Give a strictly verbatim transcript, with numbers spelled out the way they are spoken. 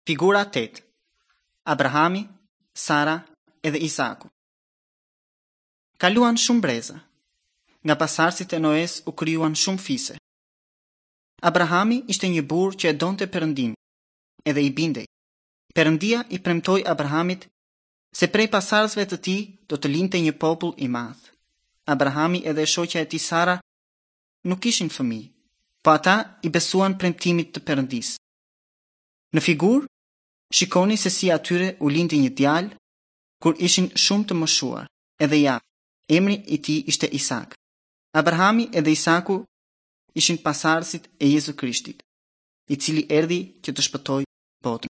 Figura tetë. Abrahami, Sara edhe Izaku. Kaluan shumë breza. Nga pasardhësit e Noes u krijuan shumë fise. Abrahami ishte një burrë që e donte Perëndin, edhe i bindej. Perëndia i premtoi Abrahamit se prej pasardhësve të tij do të linte një popull i madh. Abrahami edhe e shoqja e tij Sara nuk kishin fëmijë, po ata i besuan premtimit të Perëndisë. Në figurë, shikoni se si atyre u lindi një djalë kur ishin shumë të moshuar, edhe ja, emri i tij ishte Isak. Abrahami edhe Isaku ishin pasardhësit e Jezu Krishtit, i cili erdhi që të shpëtojë botën.